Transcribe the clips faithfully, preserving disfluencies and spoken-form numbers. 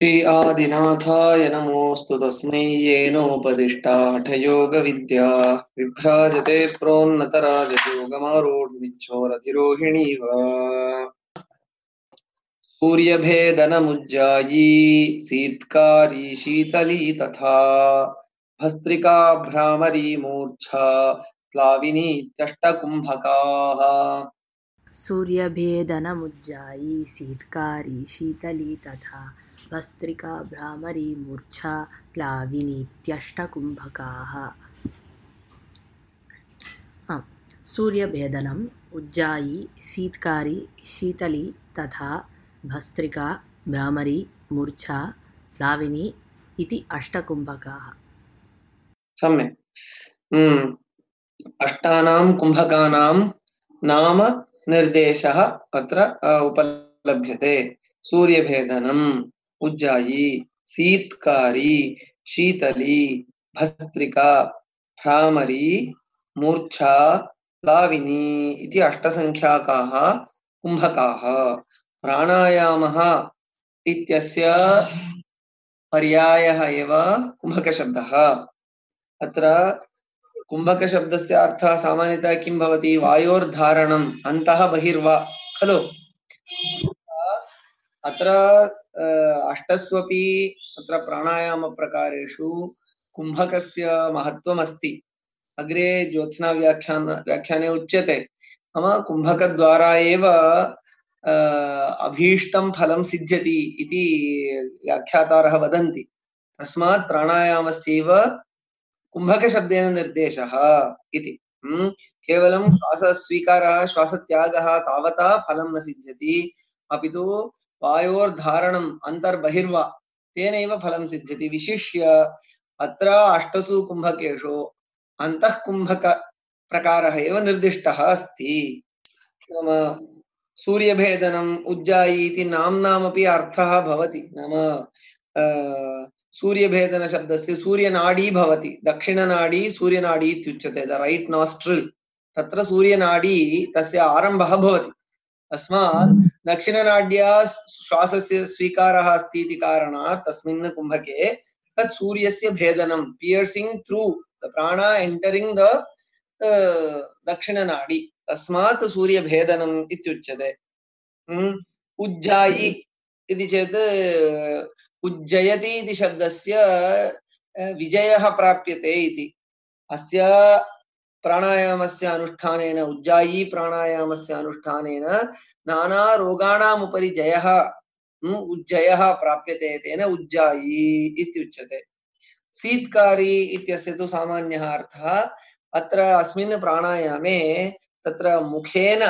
श्री आदिनाथाय नमोऽस्तु तस्मै येनोपदिष्टा हठयोगविद्या विभ्राजते प्रोन्नतराजयोगमारूढमिच्छोरधिरोहिणीव सूर्यभेदनमुज्जायी सीत्कारी शीतली तथा भस्त्रिका भ्रामरी मूर्च्छा प्लाविनीत्यष्टकुम्भकाः सूर्यभेदनमुज्जायी सीत्कारी शीतली तथा भस्त्रिका भ्रामरी मूर्च्छा प्लाविनीत्यष्टकुम्भकाः। हाँ, सूर्यभेदनम् उज्जायी सीत्कारी शीतली तथा भस्त्रिका भ्रामरी मूर्च्छा प्लाविनी इति अष्टकुम्भकाः। सम्यक्। हम्म अष्टानां कुम्भकानां नाम निर्देशः अत्र उपलभ्यते। सूर्यभेदनम्, उज्जायी, सीत्कारी, शीतली, भस्त्रिका, भ्रामरी, मूर्च्छा, प्लाविनी इति अष्टसङ्ख्याकाः कुम्भकाः। प्राणायामः इत्यस्य पर्यायः एव कुम्भकशब्दः। अत्र कुम्भक शब्दस्य अर्थः सामान्यतः किं भवति? वायोर्धारणम् अन्तः बहिर्वा खलु। अत्र अष्टस्वपि अत्र प्राणायाम प्रकारेषु कुम्भकस्य महत्त्वम् अस्ति। अग्रे ज्योत्स्ना व्याख्यान व्याख्याने उच्यते नाम कुम्भकद्वारा एव अभीष्टं फलं सिद्ध्यति इति व्याख्यातारः वदन्ति। तस्मात् प्राणायामस्यैव कुम्भकशब्देन निर्देशः इति। केवलं श्वासस्वीकारः श्वासत्यागः तावता फलं न सिद्ध्यति, अपि तु वायोर्धारणम् अन्तर्बहिर्वा तेनैव फलं सिद्ध्यति। विशिष्य अत्र अष्टसु कुम्भकेषु अन्तः कुम्भक प्रकारः एव निर्दिष्टः अस्ति। नाम सूर्यभेदनम् उज्जायी इति नाम्नामपि अर्थः भवति। नाम सूर्यभेदन शब्दस्य सूर्यनाडी भवति। दक्षिणनाडी सूर्यनाडी इत्युच्यते। द राइट नॉस्ट्रिल तत्र सूर्यनाडी तस्य आरम्भः भवति। तस्मात् दक्षिणनाड्या श्वासस्य स्वीकारः अस्ति इति कारणात् तस्मिन् कुम्भके तत् सूर्यस्य भेदनं पियर्सिंग थ्रू द प्राण एंटरिंग द दक्षिणनाडी, तस्मात् सूर्यभेदनम् इत्युच्यते। उज्जायी इति चेत् उज्जयति इति शब्दस्य विजयः प्राप्यते इति। अस्य प्राणायामस्य अनुष्ठानेन उज्जायी प्राणायामस्य अनुष्ठानेन नाना रोगाणाम् उपरि जयः उज्जयः प्राप्यते, तेन उज्जायी इत्युच्यते। सीत्कारी इत्यस्य तु सामान्यः अर्थः। अत्र अस्मिन् प्राणायामे तत्र मुखेन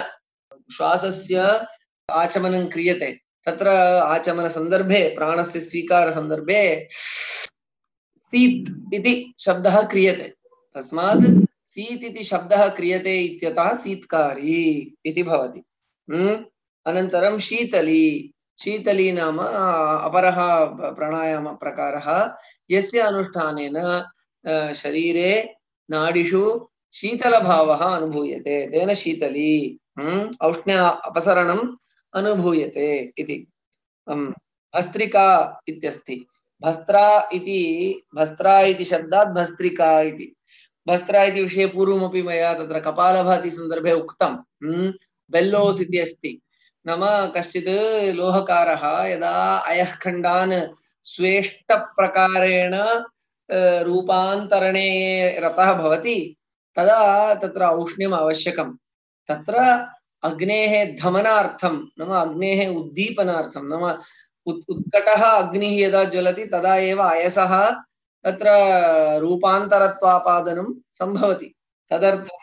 श्वासस्य आचमनं क्रियते। तत्र आचमन संदर्भे प्राणस्य स्वीकार संदर्भे सीत् इति शब्दः क्रियते। तस्मात् सीत् इति शब्दः क्रियते इत्यतः सीत्कारी इति भवति। अनन्तरं शीतली। शीतली नाम अपरः प्राणायाम प्रकारः यस्य अनुष्ठानेन शरीरे नाडिषु शीतलभावः अनुभूयते, तेन शीतली। औष्ण्य अपसरणम् अनुभूयते इति। भस्त्रिका इत्यस्ति। भस्त्रा इति भस्त्रा इति शब्दात् भस्त्रिका इति। भस्त्रा इति विषये पूर्वमपि मया तत्र कपालभाति सन्दर्भे उक्तं। बेल्लोस् इति अस्ति। नाम कश्चित् लोहकारः यदा अयः खण्डान् स्वेष्टप्रकारेण रूपान्तरणे रतः भवति तदा तत्र औष्ण्यम् आवश्यकं। तत्र अग्नेः धमनार्थं नाम अग्नेः उद्दीपनार्थं नाम उत्कटः अग्निः यदा ज्वलति तदा एव अयसः तत्र रूपान्तरत्वापादनं सम्भवति। तदर्थं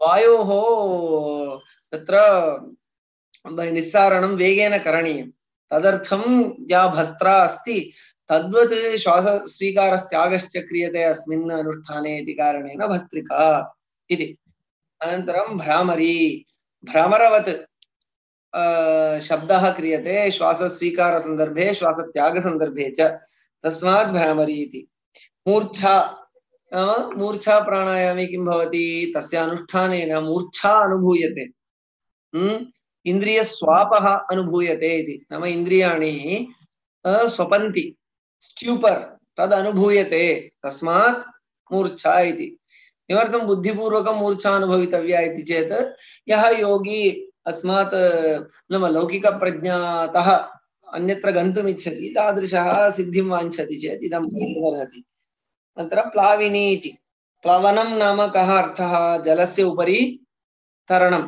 वायोः तत्र निस्सारणं वेगेन करणीयं। तदर्थं या भस्त्रा अस्ति तद्वत् श्वासस्वीकारस्त्यागश्च क्रियते अस्मिन् अनुष्ठाने इति कारणेन भस्त्रिका इति। अनन्तरं भ्रामरी। भ्रमरवत् शब्दः क्रियते श्वासस्वीकार संदर्भे श्वासत्याग संदर्भे च, तस्मात् भ्रामरी इति। मूर्च्छा नाम मूर्च्छा प्राणायामे किं भवति? तस्य अनुष्ठानेन मूर्च्छा अनुभूयते। हम्म इंद्रिय स्वापः अनुभूयते इति। नाम इन्द्रियाणि स्वपन्ति स्ट्यूपर् तद् अनुभूयते तस्मात् मूर्छा इति किमर्थं बुद्धिपूर्वकं मूर्छा अनुभवितव्या इति चेत् यः योगी अस्मात् नाम लौकिकप्रज्ञातः अन्यत्र गन्तुम् इच्छति तादृशः सिद्धिं वाञ्छति चेत् इदं भवितुमर्हति। अनन्तरं प्लाविनी इति प्लवनं नाम कः अर्थः जलस्य उपरि तरणं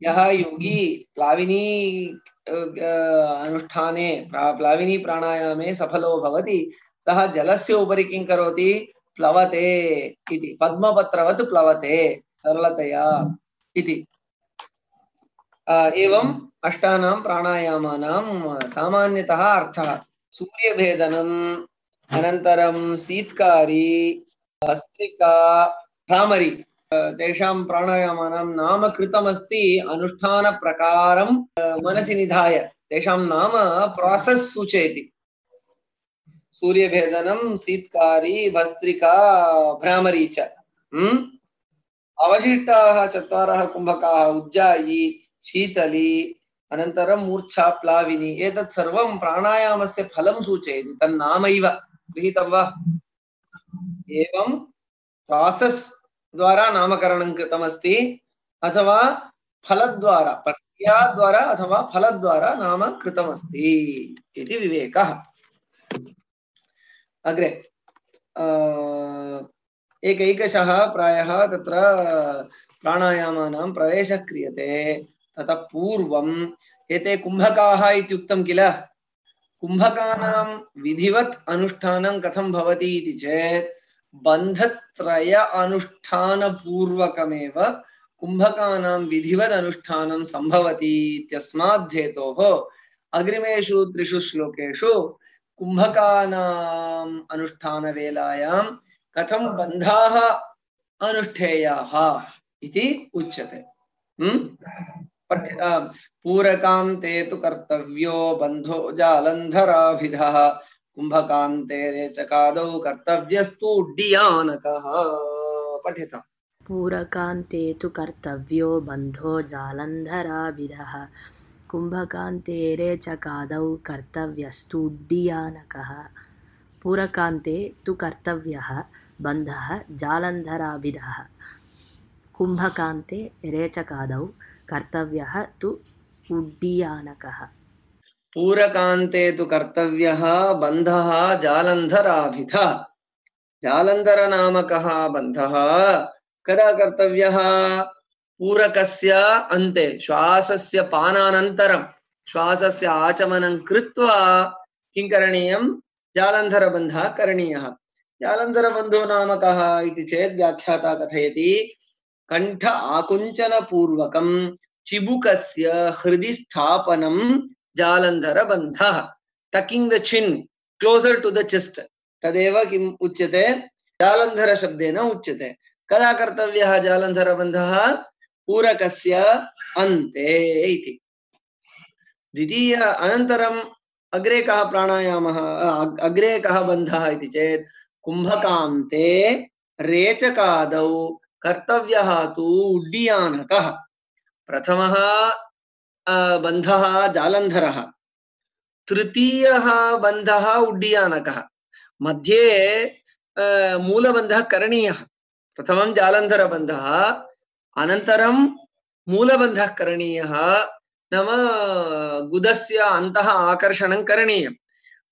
यः योगी प्लाविनी अनुष्ठाने प्लाविनी प्राणायामे सफलो भवति सः जलस्य उपरि किं करोति प्लवते इति पद्मपत्रवत् प्लवते सरलतया इति एवं अष्टानां प्राणायामानां सामान्यतः अर्थः सूर्यभेदनम् अनन्तरं शीत्कारी भस्त्रिका भ्रामरी तेषां प्राणायामानां नाम कृतमस्ति अनुष्ठानप्रकारं मनसि निधाय तेषां नाम प्रासेस् सूचयति सूर्यभेदनं शीत्कारी भस्त्रिका भ्रामरी च अवशिष्टाः चत्वारः कुम्भकाः उज्जायी शीतली अनन्तरं मूर्छा प्लाविनी एतत् सर्वं प्राणायामस्य फलं सूचयति तन्नामैव गृहीतं वा एवं प्रासेस् द्वारा नामकरणं कृतमस्ति अथवा फलद्वारा प्रक्रियाद्वारा अथवा फलद्वारा नाम कृतमस्ति इति विवेकः। अग्रे एकैकशः प्रायः तत्र प्राणायामानां प्रवेशः क्रियते ततः पूर्वम् एते कुम्भकाः इत्युक्तं किल कुम्भकानां विधिवत् अनुष्ठानं कथं भवति इति चेत् बन्धत्रय अनुष्ठान पूर्वकमेव कुम्भकानां विधिवत् अनुष्ठानं संभवति इत्यस्मात् हेतोः अग्रिमेषु त्रिषु श्लोकेषु कुम्भकानां अनुष्ठानवेलायां कथं बन्धाः अनुष्ठेयाः इति उच्यते। पूरकान्ते तु कर्तव्यो बन्धो जालन्धराभिधः कुम्भकान्ते रेचकादौ कर्तव्यस्तु उड्डीयानकः। पठितम्। पूरकान्ते तु कर्तव्यो बन्धो जालन्धराभिधः कुम्भकान्ते रेचकादौ कर्तव्यस्तु उड्डीयानकः। पूरकान्ते तु कर्तव्यः बन्धः जालन्धराभिधः कुम्भकान्ते रेचकादौ कर्तव्यः तु उड्डीयानकः। पूरकान्ते तु कर्तव्यः बन्धः जालन्धराभिधः जालन्धर नामकः बन्धः कदा कर्तव्यः पूरकस्य अन्ते श्वासस्य पानानन्तरं श्वासस्य आचमनं कृत्वा किं करणीयं जालन्धरबन्धः करणीयः। जालन्धरबन्धो नाम कः इति चेत् व्याख्याता कथयति कंठ आकुंचन पूर्वकं चिबुकस्य हृदि स्थापनं जालन्धरबन्धः tucking the chin closer to the chest तदेव किम् उच्यते जालन्धर शब्देन उच्यते। कदा कर्तव्यः जालन्धरबन्धः पूरकस्य अन्ते इति। द्वितीय अनन्तरम् अग्रे कः प्राणायामः अग्रे कः बन्धः इति चेत् कुम्भकान्ते रेचकादौ कर्तव्यः तु उड्डीयानकः। प्रथमः बन्धः जालन्धरः तृतीयः बन्धः उड्डीयानकः मध्ये मूलबन्धः करणीयः। प्रथमं जालन्धरबन्धः अनन्तरं मूलबन्धः करणीयः नाम गुदस्य अन्तः आकर्षणं करणीयं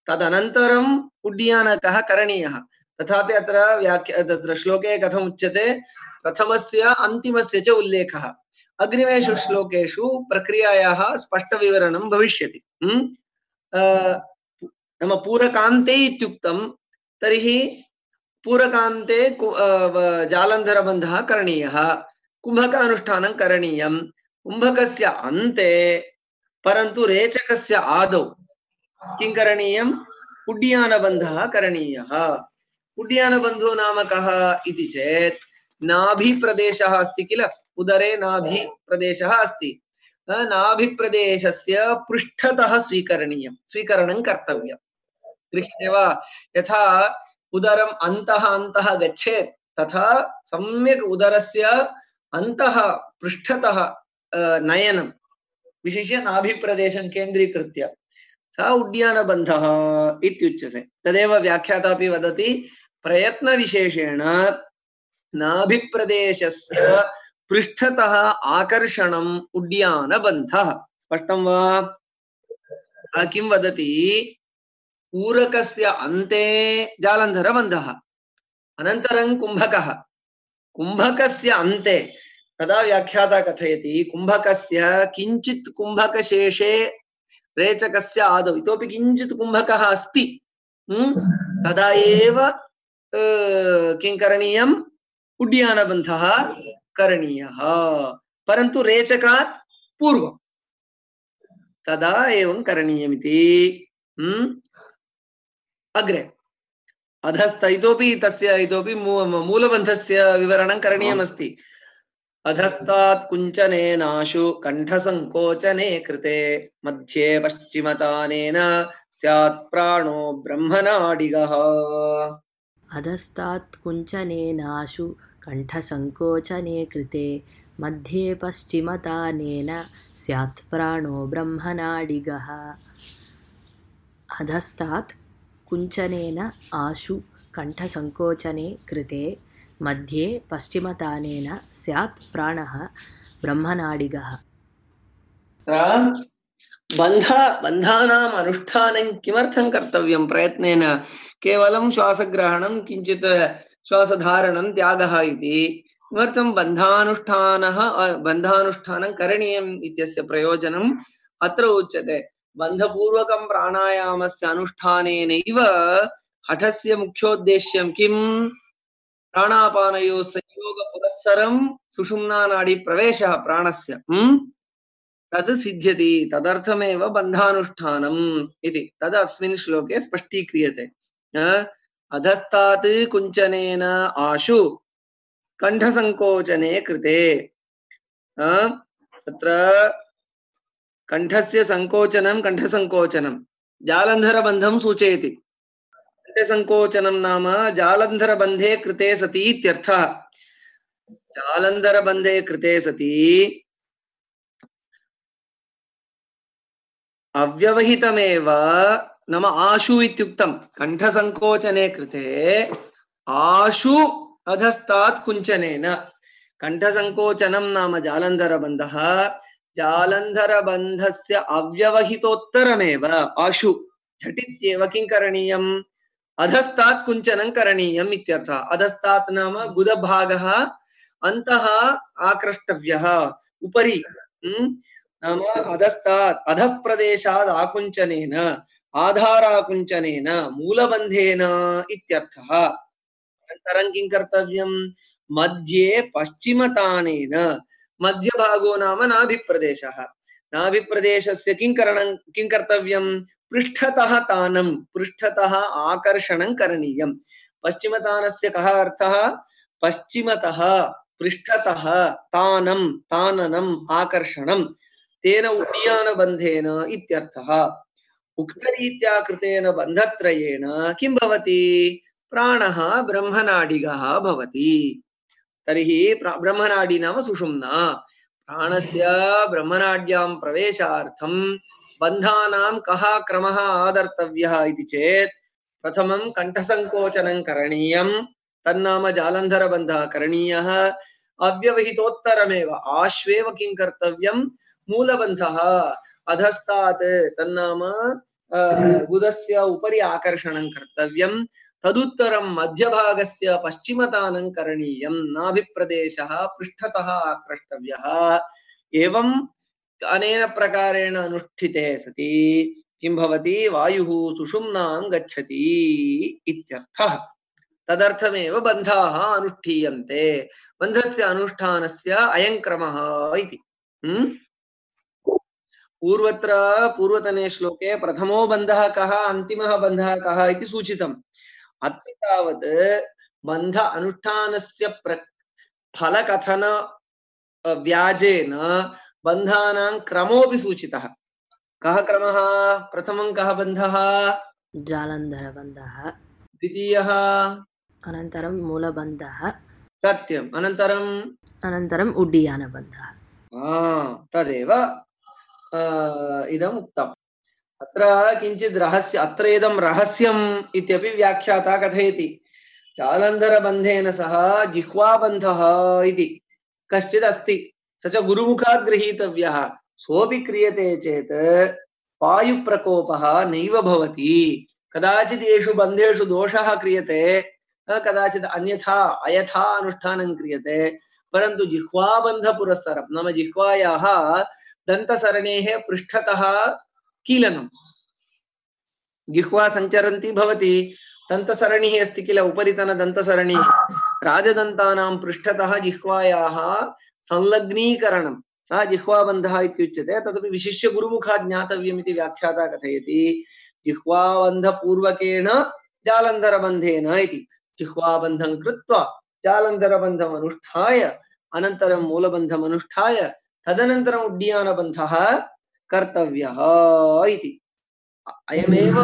तदनन्तरम् उड्डीयानकः करणीयः। तथापि अत्र व्याख्या तत्र श्लोके कथम् उच्यते प्रथमस्य अन्तिमस्य च उल्लेखः अग्रिमेषु श्लोकेषु प्रक्रियायाः स्पष्टविवरणं भविष्यति। नाम पूरकान्ते इत्युक्तं तर्हि पूरकान्ते जालन्धरबन्धः करणीयः कुम्भकानुष्ठानं करणीयं कुम्भकस्य अन्ते परन्तु रेचकस्य आदौ किं करणीयम् उड्डीयानबन्धः करणीयः। उड्डीयानबन्धो नाम कः इति चेत् नाभिप्रदेशः अस्ति किल उदरे नाभिप्रदेशः अस्ति नाभिप्रदेशस्य पृष्ठतः स्वीकरणीयं स्वीकरणं कर्तव्यं। गृह्यते वा यथा उदरम् अन्तः अन्तः गच्छेत् तथा सम्यक् उदरस्य अन्तः पृष्ठतः नयनं विशिष्य नाभिप्रदेशं केन्द्रीकृत्य स उड्डयनबन्धः इत्युच्यते। तदेव व्याख्याता अपि वदति प्रयत्नविशेषेण नाभिप्रदेशस्य पृष्ठतः आकर्षणम् उड्डयनबन्धः। स्पष्टं वा? किं वदति? पूरकस्य अन्ते जालन्धरबन्धः, अनन्तरं कुम्भकः। कुम्भकस्य अन्ते तदा व्याख्याता कथयति कुम्भकस्य किञ्चित् कुम्भकशेषे रेचकस्य आदौ इतोपि किञ्चित् कुम्भकः अस्ति, तदा एव किं करणीयम्? उड्डयनबन्धः करणीयः, परन्तु रेचकात् पूर्वं तदा एवं करणीयमिति। अग्रे अधस्थ इतोपि तस्य इतोपि मूलबन्धस्य विवरणं करणीयमस्ति। अधस्तात् कुञ्चनेनाशु कण्ठसङ्कोचने कृते मध्ये पश्चिमतानेन स्यात् प्राणो ब्रह्मनाडिगः। अधस्तात् कुञ्चनेनाशु कण्ठसङ्कोचने कृते मध्ये पश्चिमतानेन स्यात् प्राणो ब्रह्मनाडिगः। अधस्तात् कुञ्चनेन आशु कण्ठसङ्कोचने कृते मध्ये पश्चिमतानेन स्यात् प्राणः ब्रह्मनाडिगः। बन्ध बन्धानाम् अनुष्ठानं किमर्थं कर्तव्यं? प्रयत्नेन केवलं श्वासग्रहणं, किञ्चित् श्वासधारणं, त्यागः इति। किमर्थं बन्धानुष्ठानः बन्धानुष्ठानं करणीयम् इत्यस्य प्रयोजनम् अत्र उच्यते। बन्धपूर्वकं प्राणायामस्य अनुष्ठानेनैव हठस्य मुख्योद्देश्यं किं? प्राणापानयोः संयोगपुरस्सरं सुषुम्नानाडी प्रवेशः प्राणस्य तद् सिद्ध्यति। तदर्थमेव बन्धानुष्ठानम् इति तद् अस्मिन् श्लोके स्पष्टीक्रियते। अधस्तात् कुञ्चनेन आशु कण्ठसङ्कोचने कृते, तत्र कण्ठस्य सङ्कोचनं कण्ठसङ्कोचनं जालन्धरबन्धं सूचयति। कण्ठसङ्कोचनं नाम जालन्धरबन्धे कृते सति इत्यर्थः। जालन्धरबन्धे कृते सति अव्यवहितमेव नाम आशु इत्युक्तं। कण्ठसङ्कोचने कृते आशु अधस्तात् कुञ्चनेन। कण्ठसङ्कोचनं नाम जालन्धरबन्धः, जालन्धरबन्धस्य अव्यवहितोत्तरमेव आशु झटित्येव किं करणीयम्? अधस्तात् कुञ्चनं करणीयम् इत्यर्थः। अधस्तात् नाम गुदभागः अन्तः आक्रष्टव्यः उपरि, नाम अधस्तात् अधः प्रदेशात् आकुञ्चनेन आधाराकुञ्चनेन मूलबन्धेन इत्यर्थः। अनन्तरं किं कर्तव्यं? मध्ये पश्चिमतानेन। मध्यभागो नाम नाभिप्रदेशः। नाभिप्रदेशस्य किं करणं किं कर्तव्यं? पृष्ठतः तानं, पृष्ठतः आकर्षणं करणीयं। पश्चिमतानस्य कः अर्थः? पश्चिमतः पृष्ठतः तानं, ताननम्, आकर्षणं, तेन उड्डयनबन्धेन इत्यर्थः। उक्तरीत्या कृतेन बन्धत्रयेण किं भवति? प्राणः ब्रह्मनाडिगः भवति। तर्हि ब्रह्मनाडी नाम सुषुम्ना। प्राणस्य ब्रह्मनाड्यां प्रवेशार्थं बन्धानां कः क्रमः आदर्तव्यः इति चेत् प्रथमं कण्ठसङ्कोचनं करणीयं, तन्नाम जालन्धरबन्धः करणीयः। अव्यवहितोत्तरमेव आश्वेव किं कर्तव्यं? मूलबन्धः अधस्तात् तन्नाम गुदस्य उपरि आकर्षणं कर्तव्यं। तदुत्तरं मध्यभागस्य पश्चिमतानं करणीयं। नाभिप्रदेशः पृष्ठतः आक्रष्टव्यः। एवं अनेन प्रकारेण अनुष्ठिते सति किं भवति? वायुः सुषुम्नां गच्छति इत्यर्थः। तदर्थमेव बन्धाः अनुष्ठीयन्ते। बन्धस्य अनुष्ठानस्य अयं क्रमः इति। पूर्वत्र पूर्वतने श्लोके प्रथमो बन्धः कः, अन्तिमः बन्धः कः इति सूचितम्। अत्र तावत् बन्ध अनुष्ठानस्य प्र फलकथन व्याजेन बन्धानां क्रमोऽपि सूचितः। कः क्रमः? प्रथमं कः बन्धः? जालन्धरबन्धः। द्वितीयः? अनन्तरं मूलबन्धः। सत्यम्। अनन्तरम् अनन्तरम् उड्डयनबन्धः। तदेव इदम् उक्तम्। अत्र किञ्चित् रहस्य अत्र इदं रहस्यम् इत्यपि व्याख्याता कथयति। जालन्धरबन्धेन सह जिह्वाबन्धः इति कश्चित् अस्ति, स च गुरुमुखात् गृहीतव्यः। सोऽपि क्रियते चेत् वायुप्रकोपः नैव भवति। कदाचित् येषु बन्धेषु दोषः क्रियते, कदाचित् अन्यथा अयथा अनुष्ठानं क्रियते, परन्तु जिह्वाबन्धपुरस्सरं नाम जिह्वायाः दन्तसरणेः पृष्ठतः कीलनं, जिह्वा सञ्चरन्ती भवति, दन्तसरणिः अस्ति किल, उपरितनदन्तसरणिः, राजदन्तानां पृष्ठतः जिह्वायाः संलग्नीकरणं, सः जिह्वाबन्धः इत्युच्यते। तदपि विशिष्य गुरुमुखात् ज्ञातव्यम् इति व्याख्याता कथयति। जिह्वाबन्धपूर्वकेण जालन्धरबन्धेन इति, जिह्वाबन्धं कृत्वा जालन्धरबन्धम् अनुष्ठाय अनन्तरं मूलबन्धम् अनुष्ठाय तदनन्तरम् उड्डीयानबन्धः कर्तव्यः इति। अयमेव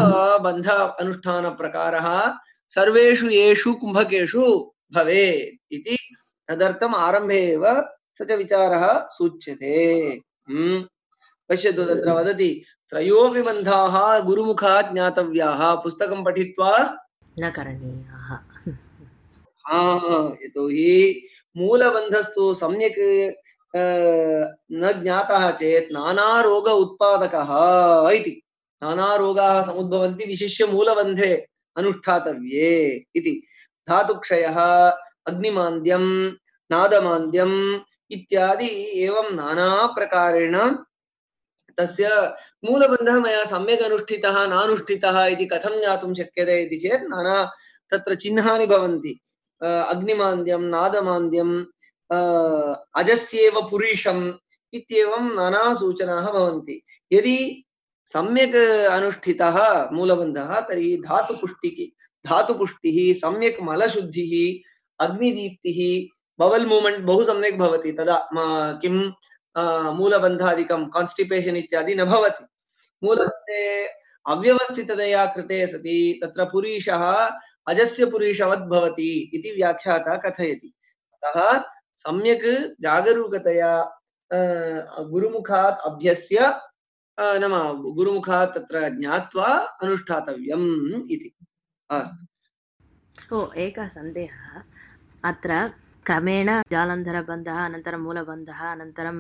बन्ध अनुष्ठानप्रकारः सर्वेषु येषु कुम्भकेषु भवेत् इति तदर्थम् आरम्भे एव स च विचारः सूच्यते। हम्म पश्यतु, तत्र वदति त्रयोऽपि बन्धाः गुरुमुखात् ज्ञातव्याः, पुस्तकं पठित्वा न करणीयाः। यतोहि मूलबन्धस्तु सम्यक् न ज्ञातः चेत् नानारोग उत्पादकः इति। नानारोगाः समुद्भवन्ति विशिष्य मूलबन्धे अनुष्ठातव्ये इति। धातुक्षयः, अग्निमान्द्यं, नादमान्द्यम् इत्यादि एवं नाना प्रकारेण तस्य मूलबन्धः मया सम्यक् अनुष्ठितः नानुष्ठितः इति कथं ज्ञातुं शक्यते इति चेत् नाना तत्र चिह्नानि भवन्ति। अग्निमान्द्यं, नादमान्द्यं, अजस्येव पुरीशम् इत्येवं नाना सूचनाः भवन्ति। यदि सम्यक् अनुष्ठितः मूलबन्धः तर्हि धातुपुष्टिः धातुपुष्टिः सम्यक् मलशुद्धिः, अग्निदीप्तिः, बबल् मूव्मेंट बहु सम्यक् भवति। तदा किं मूलबन्धादिकं कान्स्टिपेशन् इत्यादि न भवति। मूलबन्धे अव्यवस्थिततया कृते सति तत्र पुरीशः अजस्य पुरीशवत् भवति इति व्याख्याता कथयति। अतः सम्यक् जागरूकतया गुरुमुखात् अभ्यस्य नाम गुरुमुखात् तत्र ज्ञात्वा अनुष्ठातव्यम् इति। अस्तु। ओ एकः सन्देहः अत्र क्रमेण जालन्धरबन्धः अनन्तरं मूलबन्धः अनन्तरं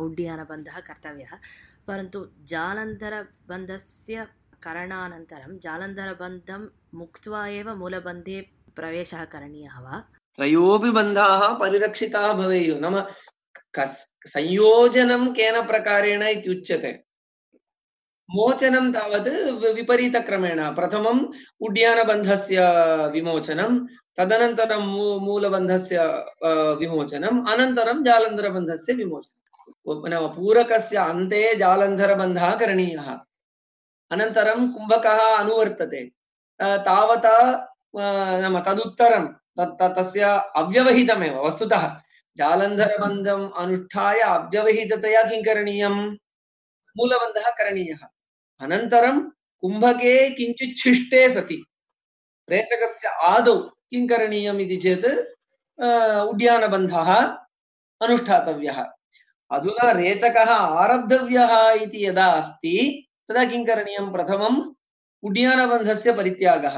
उड्डीयानबन्धः कर्तव्यः, परन्तु जालन्धरबन्धस्य करणानन्तरं जालन्धरबन्धं मुक्त्वा एव मूलबन्धे प्रवेशः करणीयः वा? त्रयोऽपि बन्धाः परिरक्षिताः भवेयुः। नाम संयोजनं केन प्रकारेण इत्युच्यते। मोचनं तावत् विपरीतक्रमेण, प्रथमम् उड्डीयानबन्धस्य विमोचनं, तदनन्तरं मूलबन्धस्य विमोचनम्, अनन्तरं जालन्धरबन्धस्य विमोचनं। नाम पूरकस्य अन्ते जालन्धरबन्धः करणीयः, अनन्तरं कुम्भकः अनुवर्तते तावता नाम तदुत्तरं तस्य अव्यवहितमेव वस्तुतः जालन्धरबन्धम् अनुष्ठाय अव्यवहिततया किं करणीयं, मूलबन्धः करणीयः। अनन्तरं कुम्भके किञ्चित् छिष्टे सति रेचकस्य आदौ किं करणीयम् इति चेत् उड्डीयानबन्धः अनुष्ठातव्यः। अधुना रेचकः आरब्धव्यः इति यदा अस्ति तदा किं करणीयं, प्रथमम् उड्डीयानबन्धस्य परित्यागः,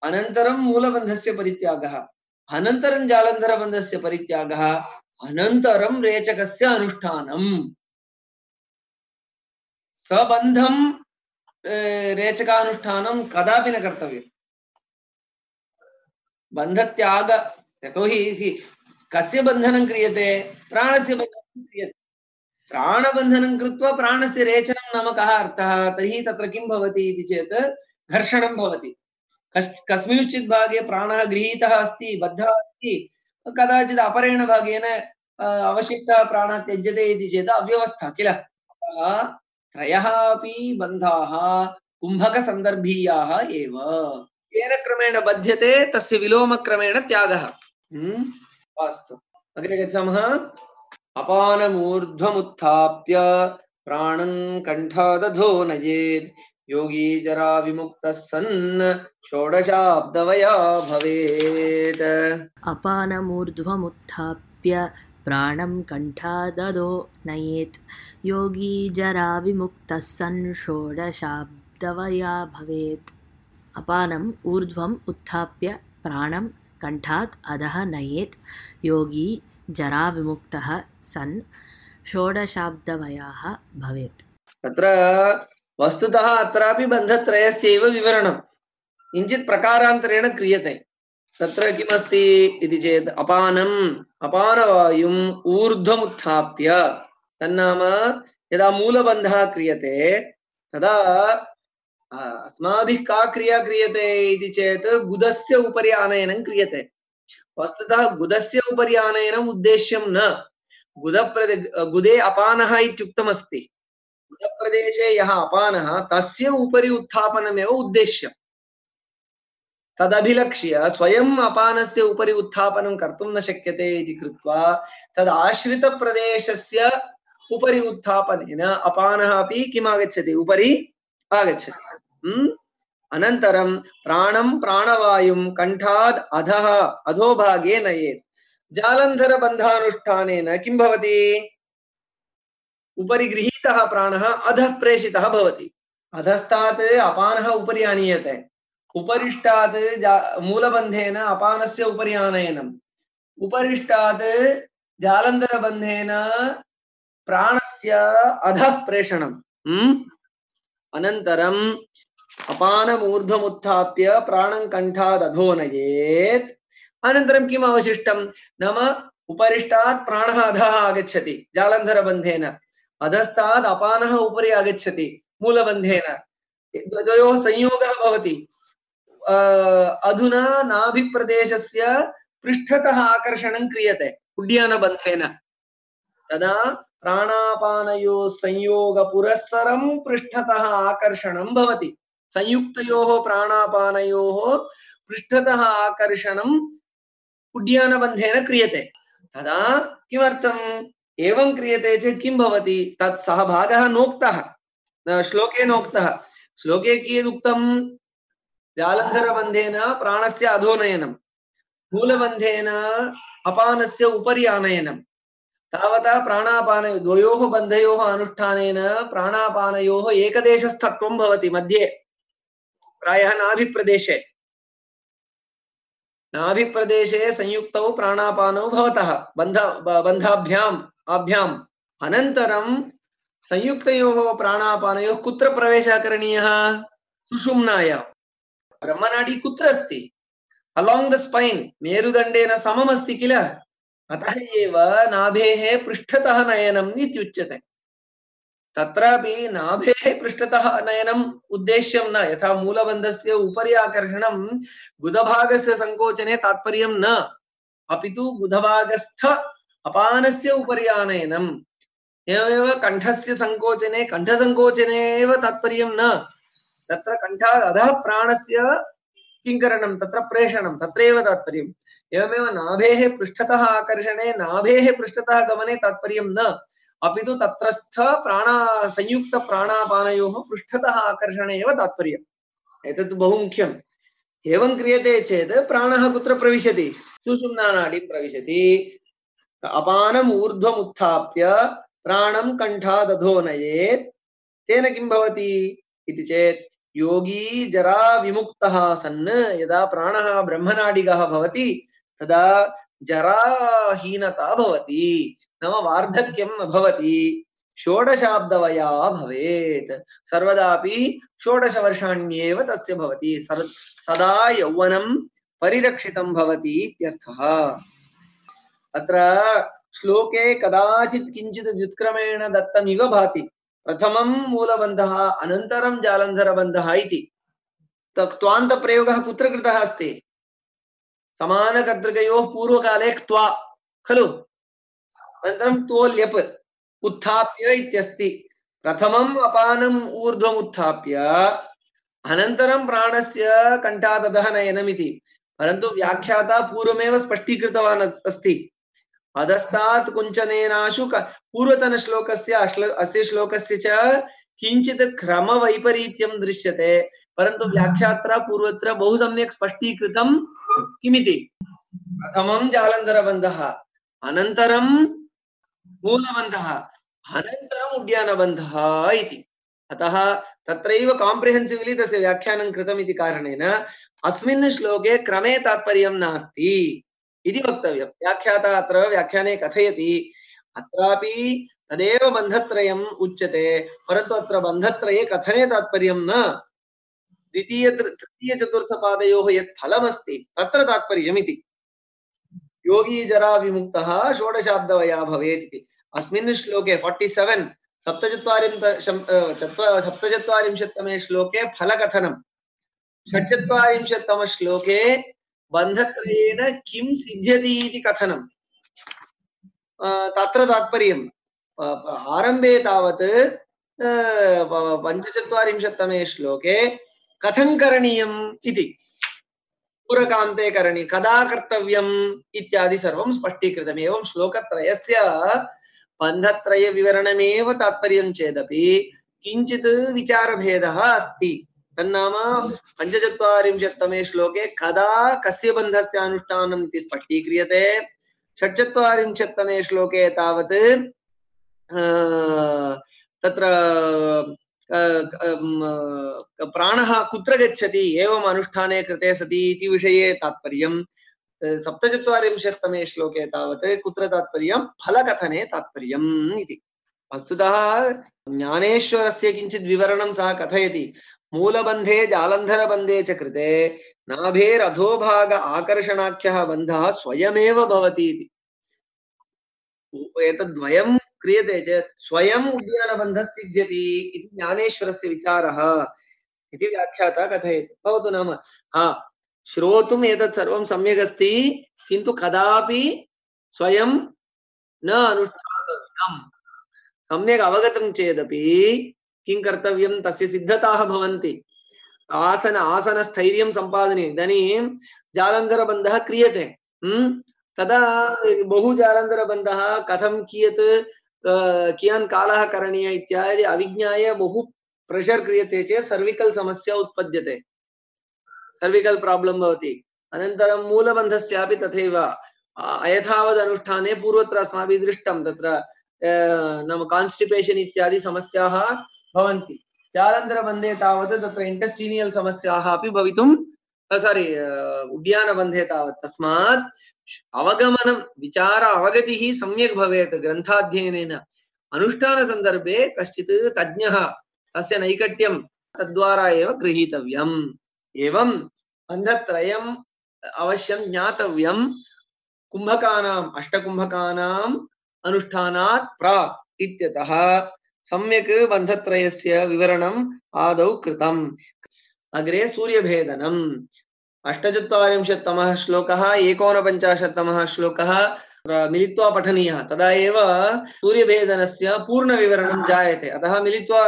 अनन्तरं मूलबन्धस्य परित्यागः, अनन्तरं जालन्धरबन्धस्य परित्यागः, अनन्तरं रेचकस्य अनुष्ठानम्। सबन्धं रेचकानुष्ठानं कदापि न कर्तव्यम्। बन्धत्याग, यतोहि कस्य बन्धनं क्रियते, प्राणस्य बन्धनं क्रियते। प्राणबन्धनं कृत्वा प्राणस्य रेचनं नाम कः अर्थः, तर्हि तत्र किं भवति इति चेत् घर्षणं भवति। कस्मिंश्चित् भागे प्राणः गृहीतः अस्ति, बद्धः अस्ति, कदाचित् अपरेण भागेन अवशिष्टः प्राणः त्यज्यते इति चेत् अव्यवस्था किल। त्रयः अपि बन्धाः कुम्भकसन्दर्भीयाः एव। येन क्रमेण बध्यते तस्य विलोमक्रमेण त्यागः। अस्तु, अग्रे गच्छामः। अपानमूर्ध्वमुत्थाप्य प्राणं कण्ठादधो नयेत्, योगी जरा विमुक्तः सन् षोडशाब्दवया भवेत्। अपानमूर्ध्वमुत्थाप्य प्राणं कण्ठादधो नयेत् योगी जरा विमुक्तः सन् षोडशाब्दवया भवेत् अपानम् ऊर्ध्वम् उत्थाप्य प्राणं कण्ठात् अधः नयेत् योगी जरा विमुक्तः सन् षोडशाब्दवयः भवेत् तत्र वस्तुतः अत्रापि बन्धत्रयस्यैव विवरणं किञ्चित् प्रकारान्तरेण क्रियते तत्र किमस्ति इति चेत् अपानम् अपानवायुम् ऊर्ध्वमुत्थाप्य तन्नाम यदा मूलबन्धः क्रियते तदा अस्माभिः का क्रिया क्रियते इति चेत् गुदस्य उपरि आनयनं क्रियते वस्तुतः गुदस्य उपरि आनयनम् उद्देश्यं न गुदप्रदे गुदे अपानः इत्युक्तमस्ति गुदप्रदेशे यः अपानः तस्य उपरि उत्थापनमेव उद्देश्यम् तदभिलक्ष्य स्वयम् अपानस्य उपरि उत्थापनं कर्तुं न शक्यते इति कृत्वा तद् आश्रितप्रदेशस्य उपरि उत्थापनेन अपानः अपि किम् आगच्छति उपरि आगच्छति अनन्तरं प्राणं प्राणवायुं कण्ठाद् अधः अधोभागे नयेत् जालन्धरबन्धानुष्ठानेन किं भवति उपरि गृहीतः प्राणः अधः प्रेषितः भवति अधस्तात् अपानः उपरि आनीयते उपरिष्टात् मूलबन्धेन अपानस्य उपरि आनयनम् उपरिष्टात् जालन्धरबन्धेन प्राणस्य अधः प्रेषणम् अनन्तरम् अपानमूर्ध्वमुत्थाप्य प्राणं कण्ठाद् अधो नयेत् अनन्तरं किम् अवशिष्टं नाम उपरिष्टात् प्राणः अधः आगच्छति जालन्धरबन्धेन अधस्तात् अपानः उपरि आगच्छति मूलबन्धेन द्वयोः संयोगः भवति अधुना नाभिप्रदेशस्य पृष्ठतः आकर्षणं क्रियते उड्डयनबन्धेन तदा प्राणापानयोः संयोगपुरस्सरं पृष्ठतः आकर्षणं भवति संयुक्तयोः प्राणापानयोः पृष्ठतः आकर्षणं उड्डयनबन्धेन क्रियते तदा किमर्थम् एवं क्रियते चेत् किं भवति तत् सः भागः नोक्तः श्लोके नोक्तः श्लोके कियदुक्तं जालन्धरबन्धेन प्राणस्य अधोनयनं मूलबन्धेन अपानस्य उपरि आनयनं तावता प्राणापान द्वयोः बन्धयोः अनुष्ठानेन प्राणापानयोः एकदेशस्थत्वं भवति मध्ये प्रायः नाभिप्रदेशे नाभिप्रदेशे संयुक्तौ प्राणापानौ भवतः बन्ध बन्धाभ्याम् आभ्याम् अनन्तरं संयुक्तयोः प्राणापानयोः कुत्र प्रवेशः करणीयः सुषुम्नायां ब्रह्मनाडी कुत्र अस्ति अलोंग द स्पाइन मेरुदण्डेन समम् अस्ति किल अतः एव नाभेः पृष्ठतः नयनम् इत्युच्यते तत्रापि नाभेः पृष्ठतः नयनम् उद्देश्यं न यथा मूलबन्धस्य उपरि आकर्षणं गुदभागस्य संकोचने तात्पर्यं न अपितु गुदभागस्थ अपानस्य उपरि आनयनम् एवमेव कण्ठस्य संकोचने कण्ठसंकोचने एव तात्पर्यं न तत्र कण्ठात् अधः प्राणस्य किं करणं तत्र प्रेषणं तत्रैव तात्पर्यम् एवमेव नाभेः पृष्ठतः आकर्षणे नाभेः पृष्ठतः गमने तात्पर्यं न अपितु तत्रस्थ प्राणा संयुक्त प्राणापानयोः पृष्ठतः आकर्षणे एव तात्पर्यम् एतत् बहु मुख्यम् एवं क्रियते चेत् प्राणः कुत्र प्रविशति सुषुम्नानाडीं प्रविशति अपानम् ऊर्ध्वम् उत्थाप्य प्राणं कण्ठाद् अधो नयेत् तेन किं भवति इति चेत् योगी जरा विमुक्तः सन् यदा प्राणः ब्रह्मनाडिगः भवति तदा जराहीनता भवति नाम वार्धक्यं न भवति षोडशाब्दवया भवेत् सर्वदापि षोडशवर्षाण्येव तस्य भवति सदा यौवनं परिरक्षितं भवति इत्यर्थः अत्र श्लोके कदाचित् किञ्चित् व्युत्क्रमेण दत्तमिव भाति प्रथमं मूलबन्धः अनन्तरं जालन्धरबन्धः इति क्त्वान्तप्रयोगः कुत्र कृतः अस्ति समानकर्तृकयोः पूर्वकाले क्त्वा खलु अनन्तरं तोल्यप् उत्थाप्य इत्यस्ति प्रथमम् अपानम् ऊर्ध्वम् उत्थाप्य अनन्तरं प्राणस्य कण्ठात् अधः नयनमिति परन्तु व्याख्याता पूर्वमेव स्पष्टीकृतवान् अस्ति अधस्तात् कुञ्चनेनाशु पूर्वतनश्लोकस्य अस्य श्लोकस्य च किञ्चित् क्रमवैपरीत्यं दृश्यते परन्तु व्याख्यात्रा पूर्वत्र बहु सम्यक् स्पष्टीकृतं किमिति प्रथमं जालन्धरबन्धः अनन्तरं मूलबन्धः अनन्तरम् उड्यानबन्धः इति। अतः तत्रैव काम्प्रिहेन्सिव्लि तस्य व्याख्यानं कृतम् इति कारणेन अस्मिन् श्लोके क्रमे तात्पर्यं नास्ति इति वक्तव्यं। व्याख्याता अत्र व्याख्याने कथयति अत्रापि तदेव बन्धत्रयम् उच्यते, परन्तु अत्र बन्धत्रये कथने तात्पर्यं न, द्वितीय तृतीय चतुर्थपादयोः यत् फलमस्ति तत्र तात्पर्यम् इति। योगी जरा विमुक्तः षोडशाब्दवया भवेत् इति। अस्मिन् श्लोके सैंतालीस सप्तचत्वारिंशत्तमे श्लोके फलकथनं, षट्चत्वारिंशत्तम श्लोके बन्धत्रयेण किं सिद्ध्यति इति कथनं, तत्र तात्पर्यम्। आरम्भे तावत् पञ्चचत्वारिंशत्तमे श्लोके कथं करणीयम् इति, पूरकान्ते करणि कदा कर्तव्यम् इत्यादि सर्वं स्पष्टीकृतम्। एवं श्लोकत्रयस्य बन्धत्रय विवरणमेव तात्पर्यं चेदपि किञ्चित् विचारभेदः अस्ति। तन्नाम पञ्चचत्वारिंशत्तमे श्लोके कदा कस्य बन्धस्य अनुष्ठानम् इति स्पष्टीक्रियते, षट्चत्वारिंशत्तमे श्लोके तावत् तत्र प्राणः कुत्र गच्छति एवम् अनुष्ठाने कृते सति इति विषये तात्पर्यं, सप्तचत्वारिंशत्तमे श्लोके तावत् कुत्र तात्पर्यं फलकथने तात्पर्यम् इति। वस्तुतः ज्ञानेश्वरस्य किञ्चित् विवरणं सः कथयति। मूलबन्धे जालन्धरबन्धे च कृते नाभेरधोभाग आकर्षणाख्यः बन्धः स्वयमेव भवति इति। एतद्वयं क्रियते चेत् स्वयम् उद्यानबन्धः सिद्ध्यति इति ज्ञानेश्वरस्य विचारः इति व्याख्याता कथयति। भवतु नाम हा श्रोतुम् एतत् सर्वं सम्यक् अस्ति, किन्तु कदापि स्वयं न अनुष्ठातव्यम्। सम्यक् अवगतं चेदपि किं कर्तव्यं, तस्य सिद्धताः भवन्ति। आसन आसनस्थैर्यं सम्पादनीयम्। इदानीं जालन्धरबन्धः क्रियते, तदा बहु जालन्धरबन्धः कथं कियत् कियान् कालः करणीयः इत्यादि अविज्ञाय बहु प्रेशर् क्रियते चेत् सर्विकल् समस्या उत्पद्यते, सर्विकल् प्राब्लम् भवति। अनन्तरं मूलबन्धस्यापि तथैव अयथावद् अनुष्ठाने पूर्वत्र अस्माभिः दृष्टं तत्र नाम कान्स्टिपेशन् इत्यादि समस्याः भवन्ति। जालन्धरबन्धे तावत् तत्र इंटेस्टिनियल् समस्याः अपि भवितुं सारी उड्यानबन्धे तावत् तस्मात् अवगमनं विचार अवगतिः सम्यक् भवेत् ग्रन्थाध्ययनेन। अनुष्ठानसन्दर्भे कश्चित् तज्ञः तस्य नैकट्यं तद्वारा एव गृहीतव्यम्। एवं बन्धत्रयम् अवश्यं ज्ञातव्यं कुम्भकानाम् अष्टकुम्भकानाम् अनुष्ठानात् प्राक् इत्यतः सम्यक् बन्धत्रयस्य विवरणम् आदौ कृतम्। अग्रे सूर्यभेदनम् अष्टचत्वारिंशत्तमः श्लोकः एकोनपञ्चाशत्तमः श्लोकः मिलित्वा पठनीयः, तदा एव सूर्यभेदनस्य पूर्णविवरणं जायते। अतः मिलित्वा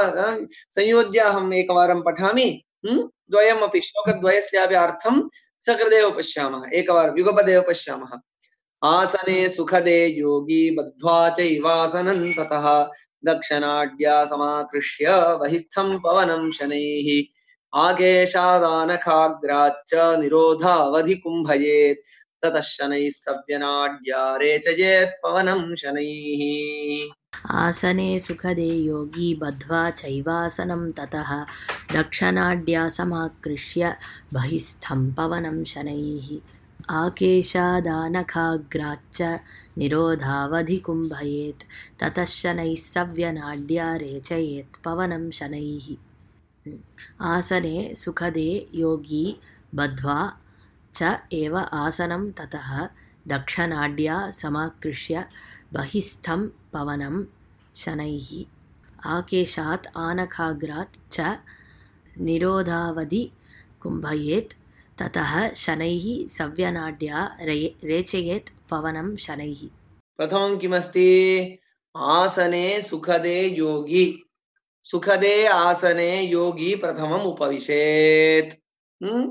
संयोज्य अहम् एकवारं पठामि, द्वयमपि श्लोकद्वयस्यापि अर्थं सकृदेव पश्यामः, एकवारं युगपदेव पश्यामः। आसने सुखदे योगी बद्ध्वा चैवासनं ततः दक्षिणाढ्या समाकृष्य बहिस्थं पवनं शनैः आकेशादानखाग्राच्च निरोधावधि कुम्भयेत् ततः शनैः सव्यनाड्या रेचयेत् पवनं शनैः। आसने सुखदे योगी बद्ध्वा चैवासनं ततः दक्षिणाढ्या समाकृष्य बहिस्थं पवनं शनैः आकेशादानखाग्राच्च निरोधावधि कुम्भयेत् ततः शनैः सव्यनाड्या रेचयेत् पवनं शनैः। आसने सुखदे योगी बद्ध्वा च एव आसनं ततः दक्षिणाढ्या समाकृष्य बहिस्थं पवनं शनैः आकेशात् आनखाग्रात् च निरोधावधि कुम्भयेत् ततः शनैः सव्यनाड्या रेचयेत् पवनं शनैः। प्रथमं किमस्ति? आसने सुखदे योगी, सुखदे आसने योगी प्रथमम् उपविशेत्।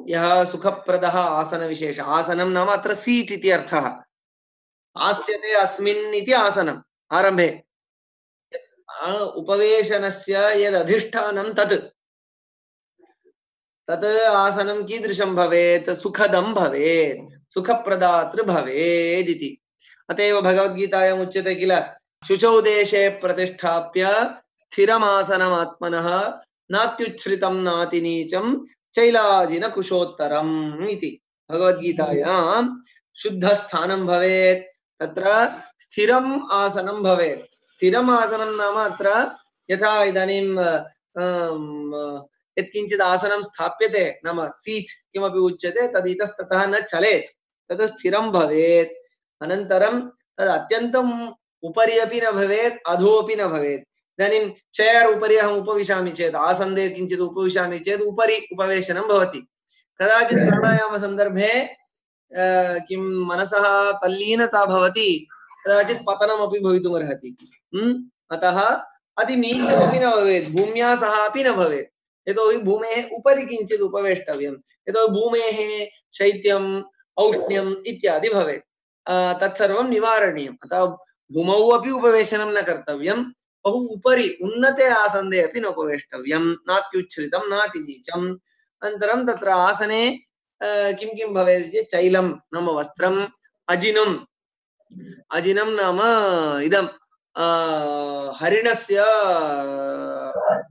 यः सुखप्रदः आसनविशेषः, आसनं नाम अत्र सीट् इति अर्थः। आस्यते अस्मिन् इति आसनम् आरम्भे, उपवेशनस्य यदधिष्ठानं तत् तत् आसनं कीदृशं भवेत्? सुखदं भवेत्, सुखप्रदातृ भवेत् इति। अतएव भगवद्गीतायाम् उच्यते किल शुचौ देशे प्रतिष्ठाप्य स्थिरमासनमात्मनः नात्युच्छ्रितं नातिनीचं चैलाजिन कुशोत्तरम् इति भगवद्गीतायां शुद्धस्थानं भवेत् तत्र स्थिरम् आसनं भवेत् स्थिरम् आसनं नाम अत्र यथा इदानीं यत्किञ्चित् आसनं स्थाप्यते नाम सीट् किमपि उच्यते तद् इतस्ततः न चलेत् तद् स्थिरं भवेत् अनन्तरं तद् अत्यन्तम् उपरि अपि न भवेत् अधो अपि न भवेत् इदानीं चेर् उपरि अहम् उपविशामि चेत् आसन्दे किञ्चित् उपविशामि चेत् उपरि उपवेशनं भवति कदाचित् प्राणायामसन्दर्भे किं मनसः तल्लीनता भवति कदाचित् पतनमपि भवितुमर्हति अतः अति नीचमपि न भवेत् भूम्या सह अपि न भवेत् यतोहि भूमेः उपरि किञ्चित् उपवेष्टव्यं यतोहि भूमेः शैत्यम् औष्ण्यम् इत्यादि भवेत् तत्सर्वं निवारणीयम् अतः भूमौ अपि उपवेशनं न कर्तव्यं बहु उपरि उन्नते आसन्दे अपि न उपवेष्टव्यं नात्युच्छ्रितं नातिनीचम् अनन्तरं तत्र आसने किं किं भवेत् चेत् चैलं नाम वस्त्रम् अजिनम् अजिनं नाम इदं हरिणस्य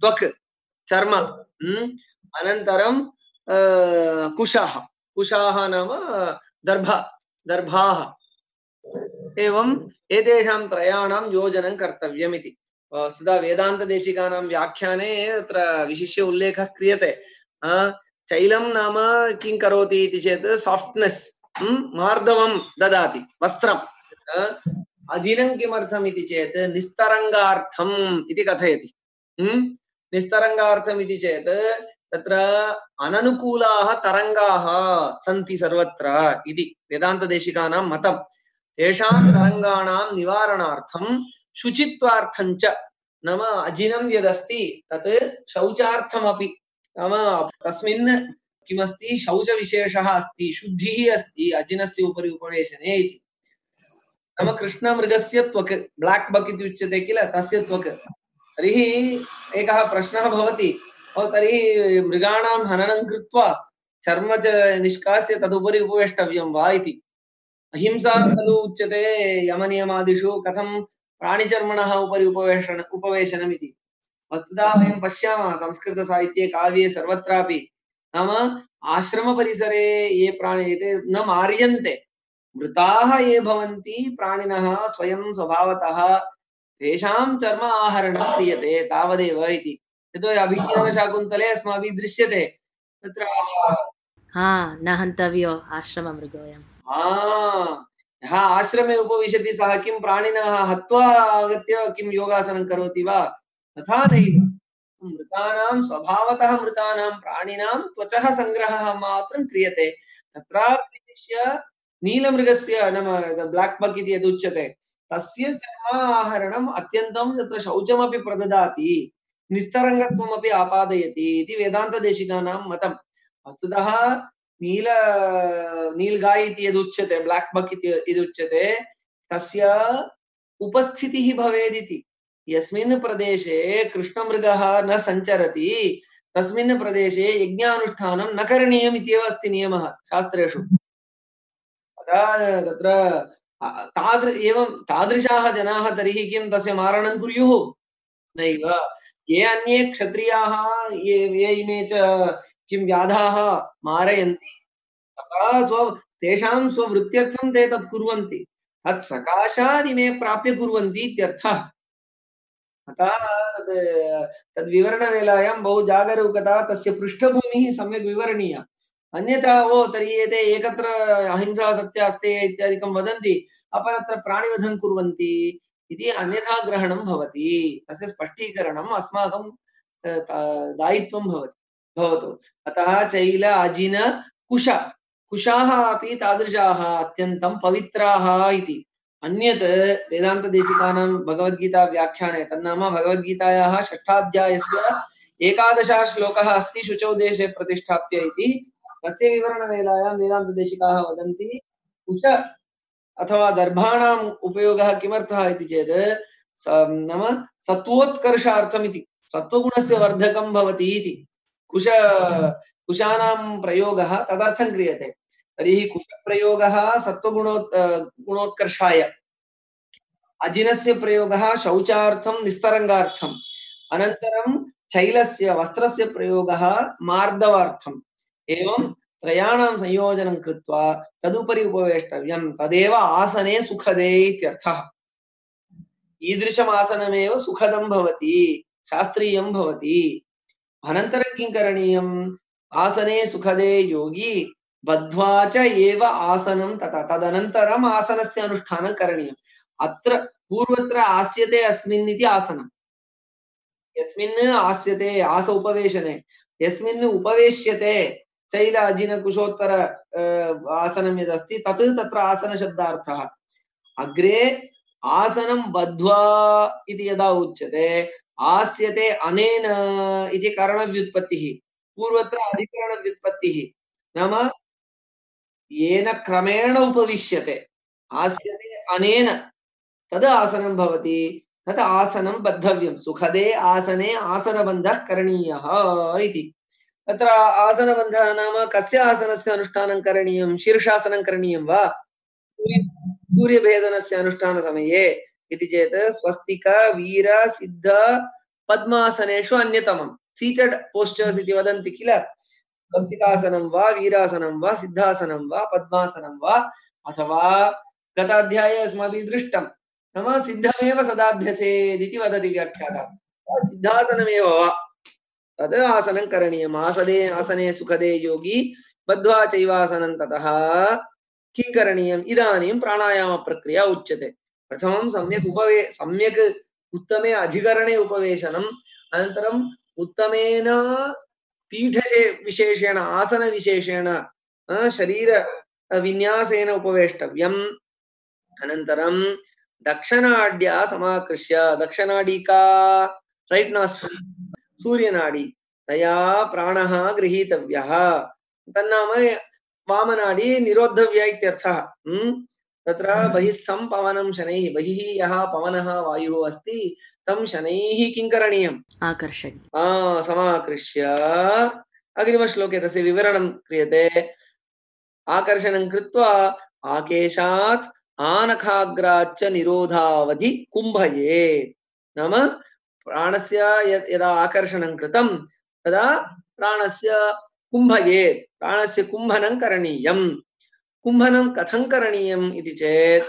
त्वक् चर्म अनन्तरं कुशाः कुशाः नाम दर्भ दर्भाः एवं एतेषां त्रयाणां योजनं कर्तव्यमिति सदा वेदान्तदेशिकानां व्याख्याने तत्र विशिष्य उल्लेखः क्रियते चैलं नाम किं करोति इति चेत् साफ्ट्नेस् मार्दवं ददाति वस्त्रम् अजिनं किमर्थम् इति चेत् निस्तरङ्गार्थम् इति कथयति निस्तरङ्गार्थम् इति चेत् तत्र अननुकूलाः तरङ्गाः सन्ति सर्वत्र इति वेदान्तदेशिकानां मतं तेषां तरङ्गाणां निवारणार्थं शुचित्वार्थं च नाम अजिनं यदस्ति तत् शौचार्थमपि नाम तस्मिन् किमस्ति शौचविशेषः अस्ति शुद्धिः अस्ति अजिनस्य उपरि उपवेशने इति नाम कृष्णमृगस्य त्वक् ब्लैक् बक् इति उच्यते किल तस्य त्वक् तर्हि एकः प्रश्नः भवति तर्हि मृगाणां हननं कृत्वा चर्म च निष्कास्य तदुपरि उपवेष्टव्यं वा इति अहिंसा खलु उच्यते यमनियमादिषु कथं प्राणिचर्मणः उपरि उपवेशन उपवेशनमिति वस्तुतः वयं पश्यामः संस्कृतसाहित्ये काव्ये सर्वत्रापि नाम आश्रमपरिसरे ये प्राणी एते न मार्यन्ते मृताः ये भवन्ति प्राणिनः स्वयं स्वभावतः तेषां चर्म आहरणं क्रियते तावदेव इति यतोहि अभिज्ञानशाकुन्तले अस्माभिः दृश्यते तत्र हा न हन्तव्यो आश्रममृगोऽयं यः आश्रमे उपविशति सः किं प्राणिनः हत्वा आगत्य किं योगासनं करोति वा तथा नैव मृतानां स्वभावतः मृतानां प्राणिनां त्वचः सङ्ग्रहः मात्रं क्रियते तत्रापि विशिष्य नीलमृगस्य नाम ब्लैक् बक् इति यदुच्यते तस्य चर्म आहरणम् अत्यन्तं तत्र शौचमपि प्रददाति निस्तरङ्गत्वमपि आपादयति इति वेदान्तदेशिकानां मतं वस्तुतः नील नीलगाय इति यदुच्यते ब्लैक् बक् इति यदुच्यते तस्य उपस्थितिः भवेदिति यस्मिन् प्रदेशे कृष्णमृगः न सञ्चरति तस्मिन् प्रदेशे यज्ञानुष्ठानं न करणीयम् इत्येव अस्ति नियमः शास्त्रेषु तत्र तादृ एवं तादृशाः जनाः तर्हि किं तस्य मारणं कुर्युः नैव ये अन्ये क्षत्रियाः ये ये इमे च किं व्याधाः मारयन्ति तथा स्व तेषां स्ववृत्त्यर्थं ते तत् कुर्वन्ति तत् सकाशात् इमे प्राप्य कुर्वन्ति इत्यर्थः अतः तद्विवरणवेलायां बहु जागरूकता तस्य पृष्ठभूमिः सम्यक् विवरणीया अन्यथा ओ तर्हि एते एकत्र अहिंसा सत्यास्ते इत्यादिकं वदन्ति अपरत्र प्राणिवधं कुर्वन्ति इति अन्यथा ग्रहणं भवति तस्य स्पष्टीकरणम् अस्माकं दायित्वं भवति भवतु अतः चैल अजिन कुश कुशाः अपि तादृशाः अत्यन्तं पवित्राः इति अन्यत् वेदान्तदेशिकानां भगवद्गीता व्याख्याने तन्नाम भगवद्गीतायाः षष्ठाध्यायस्य एकादशः श्लोकः अस्ति शुचौ देशे प्रतिष्ठाप्य इति तस्य विवरणवेलायां वेदान्तदेशिकाः वदन्ति कुश अथवा दर्भाणाम् उपयोगः किमर्थः इति चेत् नाम सत्वोत्कर्षार्थमिति सत्वगुणस्य वर्धकं भवति इति कुश कुशानां प्रयोगः तदर्थं क्रियते तर्हि कुशप्रयोगः सत्त्वगुणो गुणोत्कर्षाय, अजिनस्य प्रयोगः शौचार्थं निस्तरङ्गार्थम्, अनन्तरं चैलस्य वस्त्रस्य प्रयोगः मार्दवार्थम्, एवं त्रयाणां संयोजनं कृत्वा तदुपरि उपवेष्टव्यं, तदेव आसने सुखदे इत्यर्थः। ईदृशम् आसनमेव सुखदं भवति, शास्त्रीयं भवति। अनन्तरं किं करणीयम्? आसने सुखदे योगी बद्ध्वा च एव आसनं तथा, तदनन्तरम् आसनस्य अनुष्ठानं करणीयम्। अत्र पूर्वत्र आस्यते अस्मिन् इति आसनं, यस्मिन् आस्यते आस उपवेशने, यस्मिन् उपवेश्यते चैल अजिन कुशोत्तर आसनं यदस्ति तत् तत्र आसनशब्दार्थः। अग्रे आसनं बद्ध्वा इति यदा उच्यते आस्यते अनेन इति कारणव्युत्पत्तिः, पूर्वत्र अधिकरणव्युत्पत्तिः, नाम येन क्रमेण उपविश्यते आस्यते अनेन तद् आसनं भवति, तद् आसनं बद्धव्यं, सुखदे आसने आसनबन्धः करणीयः इति। तत्र आसनबन्धः नाम कस्य आसनस्य अनुष्ठानं करणीयं? शीर्षासनं करणीयं वा सूर्यभेदनस्य अनुष्ठानसमये इति चेत् स्वस्तिक वीर सिद्ध पद्मासनेषु अन्यतमं सीटेड पोस्चर्स् इति वदन्ति किल, स्वस्तिकासनं वा वीरासनं वा सिद्धासनं वा पद्मासनं वा, अथवा गताध्याये अस्माभिः दृष्टं नाम सिद्धमेव सदाभ्यसेदिति वदति व्याख्याता, सिद्धासनमेव वा तद् आसनं करणीयम्। आसने आसने सुखदे योगी बद्ध्वा चैवासनं ततः किं करणीयम्? इदानीं प्राणायामप्रक्रिया उच्यते। प्रथमं सम्यक् उपवे सम्यक् उत्तमे अधिकरणे उपवेशनम्, अनन्तरम् उत्तमेन पीठशे विशेषेण आसनविशेषेण शरीर विन्यासेन उपवेष्टव्यम्। अनन्तरं दक्षिणाढ्या समाकृष्य, दक्षिणाढी का? रैट् नास्ट्रिल्, सूर्यनाडी, तया प्राणः गृहीतव्यः, तन्नाम वामनाडी निरोद्धव्या इत्यर्थः। तत्र बहिस्थं पवनं शनैः, बहिः यः पवनः वायुः अस्ति तं शनैः किं करणीयम्? आकर्षणीयम्। आ समाकृष्य अग्रिमश्लोके तस्य विवरणं क्रियते। आकर्षणं कृत्वा आकेशात् आनखाग्राच्च निरोधावधि कुम्भयेत्, नाम प्राणस्य यदा आकर्षणं कृतं तदा प्राणस्य कुम्भयेत्, प्राणस्य कुम्भनं करणीयम्। कुम्भनं कथं करणीयम् इति चेत्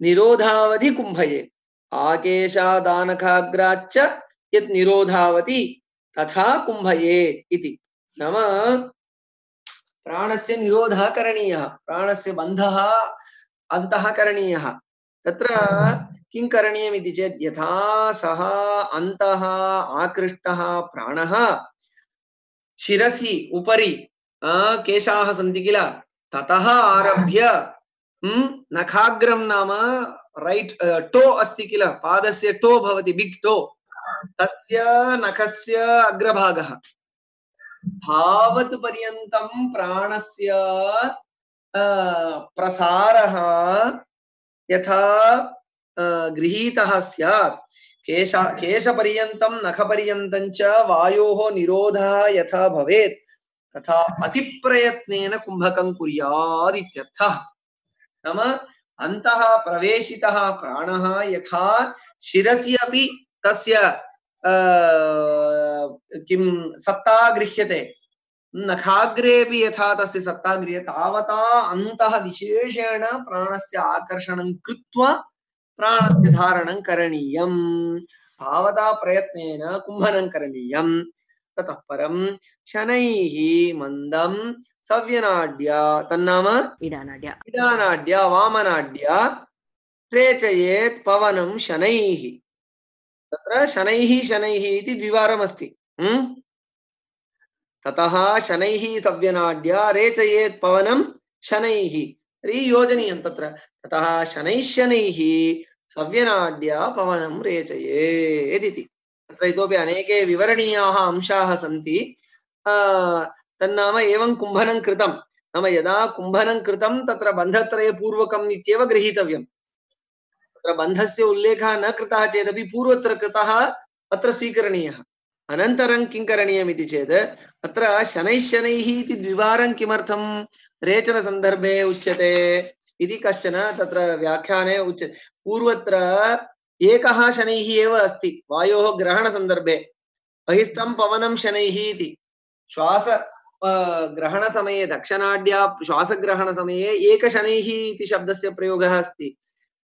निरोधावधि कुम्भयेत्, आकेशादानखाग्राच्च यत् निरोधावति तथा कुम्भयेत् इति, नाम प्राणस्य निरोधः करणीयः, प्राणस्य बन्धः अन्तः करणीयः। तत्र किं करणीयम् इति चेत् यथा सः अन्तः आकृष्टः प्राणः शिरसि उपरि केशाः सन्ति किल, ततः आरभ्य नखाग्रं नाम रैट् टो अस्ति किल, पादस्य टो भवति, बिग् टो, तस्य नखस्य अग्रभागः तावत् पर्यन्तं प्राणस्य प्रसारः यथा गृहीतः स्यात्, केश केशपर्यन्तं नखपर्यन्तं च वायोः निरोधः यथा भवेत् तथा अतिप्रयत्नेन कुम्भकं कुर्यात् इत्यर्थः। नाम अन्तः प्रवेशितः प्राणः यथा शिरसि अपि तस्य किं सत्ता गृह्यते, नखाग्रेपि यथा तस्य सत्ता गृह्यते, तावता अन्तः विशेषेण प्राणस्य आकर्षणं कृत्वा प्राणस्य धारणं करणीयम्, तावता प्रयत्नेन कुम्भनं करणीयम्। ततः परं शनैः मन्दं सव्यनाड्या, तन्नाम इडानाड्या इडानाड्या वामनाड्या रेचयेत् पवनं शनैः। तत्र शनैः शनैः इति द्विवारमस्ति। ततः शनैः सव्यनाड्या रेचयेत् पवनं शनैः, तर्हि योजनीयं तत्र, ततः शनैः शनैः सव्यनाड्या पवनं रेचयेत् इति। तत्र इतोपि अनेके विवरणीयाः अंशाः सन्ति। तन्नाम एवं कुम्भनं कृतं, नाम यदा कुम्भनं कृतं तत्र बन्धत्रयपूर्वकम् इत्येव गृहीतव्यम्। तत्र बन्धस्य उल्लेखः न कृतः चेदपि पूर्वत्र कृतः अत्र स्वीकरणीयः। अनन्तरं किं करणीयम् इति चेत् अत्र शनैः शनैः इति द्विवारं किमर्थं रेचनसन्दर्भे उच्यते इति कश्चन तत्र व्याख्याने उच्यते। पूर्वत्र एकः शनैः एव अस्ति वायोः ग्रहणसन्दर्भे, बहिस्थं पवनं शनैः इति। श्वास ग्रहणसमये दक्षिणाढ्या श्वासग्रहणसमये एकशनैः इति शब्दस्य प्रयोगः अस्ति।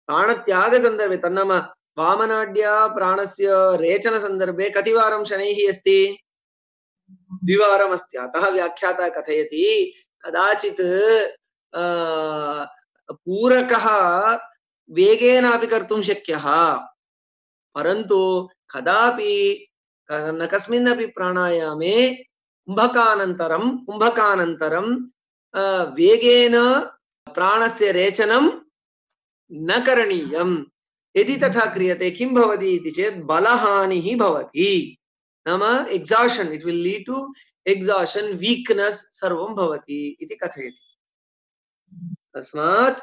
प्राणत्यागसन्दर्भे तन्नाम वामनाढ्या प्राणस्य रेचनसन्दर्भे कतिवारं शनैः अस्ति? द्विवारम् अस्ति। अतः व्याख्याता कथयति कदाचित् पूरकः वेगेन अपि कर्तुं शक्यः, परन्तु कदापि न कस्मिन्नपि प्राणायामे कुम्भकानन्तरं कुम्भकानन्तरं वेगेन प्राणस्य रेचनं न करणीयम्। यदि तथा क्रियते किं भवति इति चेत् बलहानिः भवति। नाम एक्साशन्, इट् विल् लीड् टु एक्साशन्, वीक्नेस् सर्वं भवति इति कथयति। तस्मात्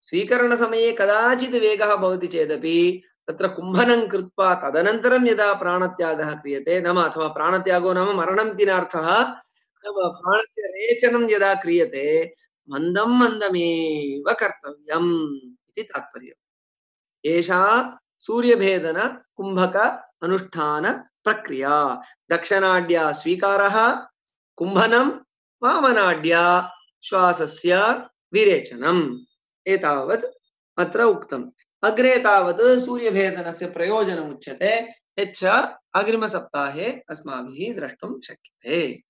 स्वीकरणसमये कदाचित् वेगः भवति चेदपि तत्र कुम्भनं कृत्वा तदनन्तरं यदा प्राणत्यागः क्रियते, नाम अथवा प्राणत्यागो नाम मरणम् इति नार्थः, प्राणस्य रेचनं यदा क्रियते मन्दं मन्दमेव कर्तव्यम् इति तात्पर्यम्। एषा सूर्यभेदन कुम्भक अनुष्ठान प्रक्रिया। दक्षिणाढ्या स्वीकारः, कुम्भनं, वामनाढ्या श्वासस्य विरेचनम्। एतावत् अत्र उक्तम्। अग्रे तावत् सूर्यभेदनस्य प्रयोजनम् उच्यते, यच्च अग्रिमसप्ताहे अस्माभिः द्रष्टुं शक्यते।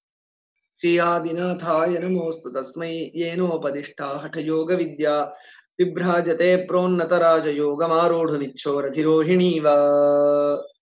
श्री आदिनाथाय नमोऽस्तु तस्मै येनोपदिष्टा हठयोगविद्या विभ्राजते प्रोन्नतराजयोगमारूढुमिच्छोरधिरोहिणीव।